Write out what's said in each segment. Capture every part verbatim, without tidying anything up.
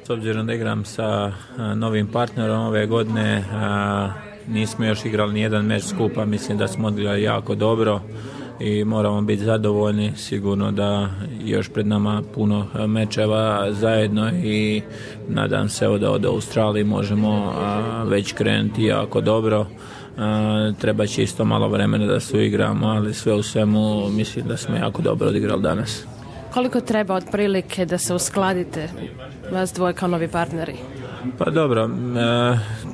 S obzirom da igram sa novim partnerom ove godine, nismo još igrali ni jedan meč skupa, mislim da smo odigrali jako dobro i moramo biti zadovoljni. Sigurno da još pred nama puno mečeva zajedno i nadam se da od Australije možemo već krenuti jako dobro. Treba će isto malo vremena da se uigramo, ali sve u svemu mislim da smo jako dobro odigrali danas. Koliko treba otprilike da se uskladite vas dvoje kao novi partneri? Pa dobro, e,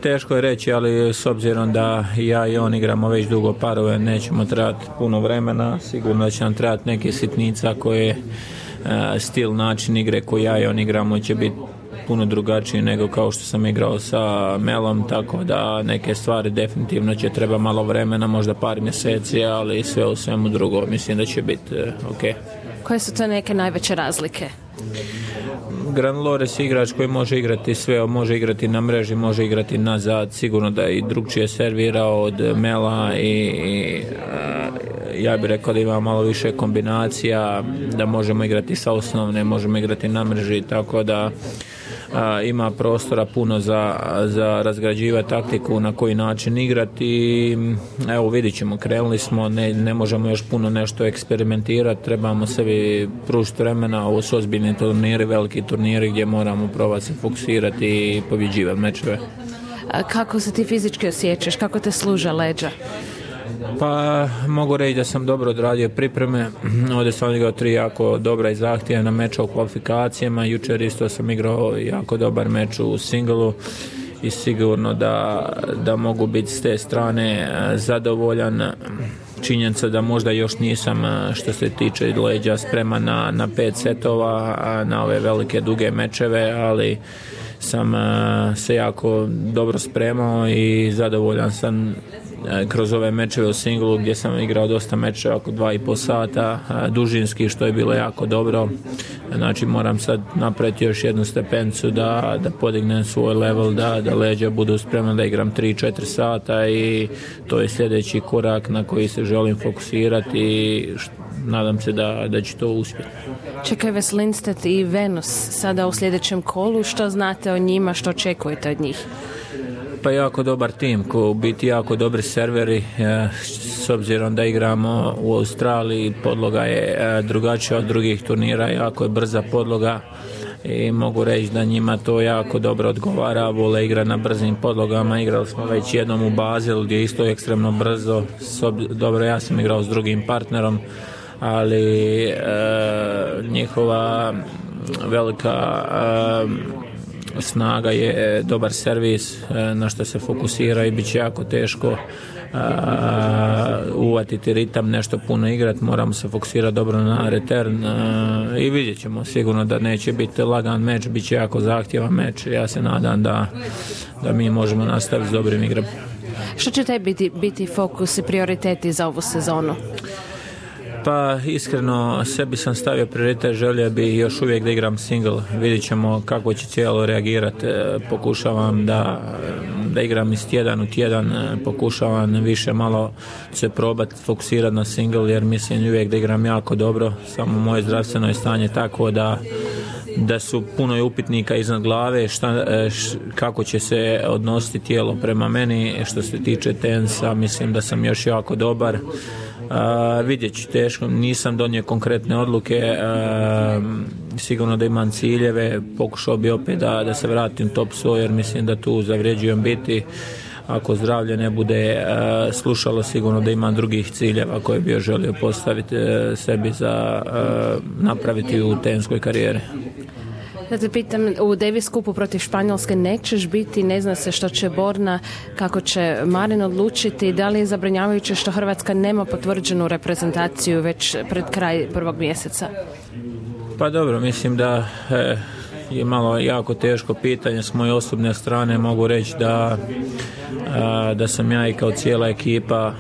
teško je reći, ali s obzirom da ja i on igramo već dugo parove, nećemo trebati puno vremena, sigurno da će nam trebati neke sitnica koje e, stil, način igre koji ja i on igramo će biti puno drugačiji nego kao što sam igrao sa Melom, tako da neke stvari definitivno će treba malo vremena, možda par mjeseci, ali sve u svemu drugo mislim da će biti e, ok. Koje su to neke najveće razlike? Granlores je igrač koji može igrati sve, može igrati na mreži, može igrati nazad, sigurno da i drugčije servirao od Mela i, i ja bih rekao da ima malo više kombinacija, da možemo igrati sa osnovne, možemo igrati na mreži, tako da a, ima prostora puno za, za razgrađivati taktiku na koji način igrati i evo vidit ćemo, krenuli smo, ne, ne možemo još puno nešto eksperimentirati, trebamo sebi pružiti vremena, ovo su ozbiljni turniri, veliki turniri gdje moramo probati se fokusirati i pobjeđivati mečeve. A kako se ti fizički osjećaš, kako te služe leđa? Pa mogu reći da sam dobro odradio pripreme, ovdje sam igrao tri jako dobra i zahtjevna meča u kvalifikacijama, jučer isto sam igrao jako dobar meč u singlu i sigurno da, da mogu biti s te strane zadovoljan. Činjenica da možda još nisam što se tiče leđa spreman na, na pet setova, na ove velike duge mečeve, ali sam se jako dobro spremao i zadovoljan sam kroz ove mečeve u singlu gdje sam igrao dosta mečeva oko dva i pol sata dužinski, što je bilo jako dobro. Znači moram sad napraviti još jednu stepencu da, da podignem svoj level, da, da leđa budu spremna da igram tri četiri sata i to je sljedeći korak na koji se želim fokusirati i nadam se da, da će to uspjeti. Čekaj vas Lindstedt i Venus sada u sljedećem kolu, što znate o njima, što očekujete od njih? Pa jako dobar tim, ko u biti jako dobri serveri, s obzirom da igramo u Australiji, podloga je drugačija od drugih turnira, jako je brza podloga i mogu reći da njima to jako dobro odgovara, vole igra na brzim podlogama, igrali smo već jednom u Bazilu gdje je isto ekstremno brzo, dobro ja sam igrao s drugim partnerom, ali e, njihova velika e, snaga je dobar servis na što se fokusira i bit će jako teško uvatiti ritam, nešto puno igrati, moramo se fokusirati dobro na return i vidjet ćemo sigurno da neće biti lagan meč, bit će jako zahtjevan meč, ja se nadam da, da mi možemo nastaviti s dobrim igram. Što će tebi biti, biti fokus i prioriteti za ovu sezonu? Pa iskreno sebi sam stavio prioritet, želio bi još uvijek da igram single, vidjet ćemo kako će cijelo reagirati, pokušavam da, da igram iz tjedan u tjedan, pokušavam više malo se probati fokusirati na single jer mislim uvijek da igram jako dobro, samo moje zdravstveno je stanje tako da da su puno je upitnika iznad glave šta, š, kako će se odnositi tijelo prema meni. Što se tiče tenisa mislim da sam još jako dobar. Uh, vidjet ću, teško, nisam donio konkretne odluke, uh, sigurno da imam ciljeve, pokušao bi opet da, da se vratim top sto jer mislim da tu zavređujem biti, ako zdravlje ne bude uh, slušalo, sigurno da imam drugih ciljeva koje bi želio postaviti uh, sebi za uh, napraviti u tenskoj karijeri. Da te pitam, u Davis Cupu protiv Španjolske nećeš biti, ne zna se što će Borna, kako će Marin odlučiti, da li je zabrinjavajuće što Hrvatska nema potvrđenu reprezentaciju već pred kraj prvog mjeseca? Pa dobro, mislim da e, je malo jako teško pitanje s moje osobne strane, mogu reći da, a, da sam ja i kao cijela ekipa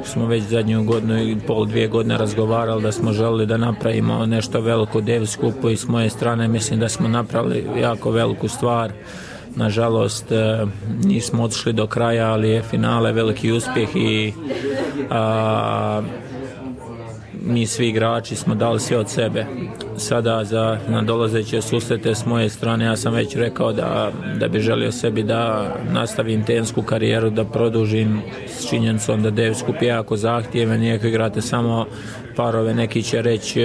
smo već zadnju godinu i pol, dvije godine razgovarali da smo želili da napravimo nešto veliko u Davis Cupu i s moje strane mislim da smo napravili jako veliku stvar. Nažalost nismo otišli do kraja, ali je finale veliki uspjeh i a, mi svi igrači smo dali sve od sebe. Sada za nadolazeće susrete s moje strane ja sam već rekao da, da bi želio sebi da nastavim tensku karijeru, da produžim s činjenicom da Davis Cup je jako zahtjevan, iako igrate samo parove, neki će reći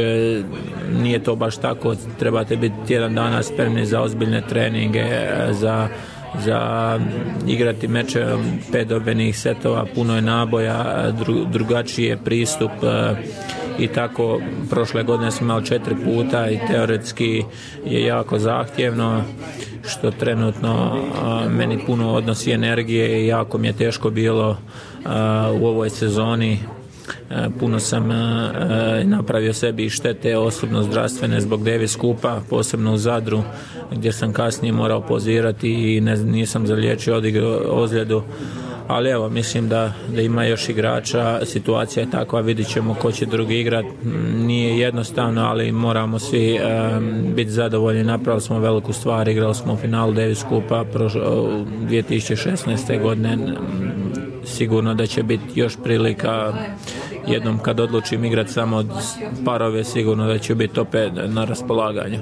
nije to baš tako, trebate biti tjedan dana spremni za ozbiljne treninge, za za igrati meče pet dobenih setova, puno je naboja, dru, drugačiji je pristup i tako. Prošle godine smo imali četiri puta i teoretski je jako zahtjevno, što trenutno a, meni puno odnosi energije i jako mi je teško bilo a, u ovoj sezoni. Puno sam napravio sebi štete osobno zdravstvene zbog Davis Cupa, posebno u Zadru gdje sam kasnije morao pozirati i ne, nisam zaliječio odigrao ozljedu, ali evo mislim da, da ima još igrača, situacija je takva, vidit ćemo ko će drugi igrat, nije jednostavno, ali moramo svi um, biti zadovoljni, napravili smo veliku stvar, igrali smo u finalu Davis Cupa prošlo, dvije tisuće šesnaeste. godine, sigurno da će biti još prilika jednom kad odlučim igrati samo parove, sigurno da će biti opet na raspolaganju.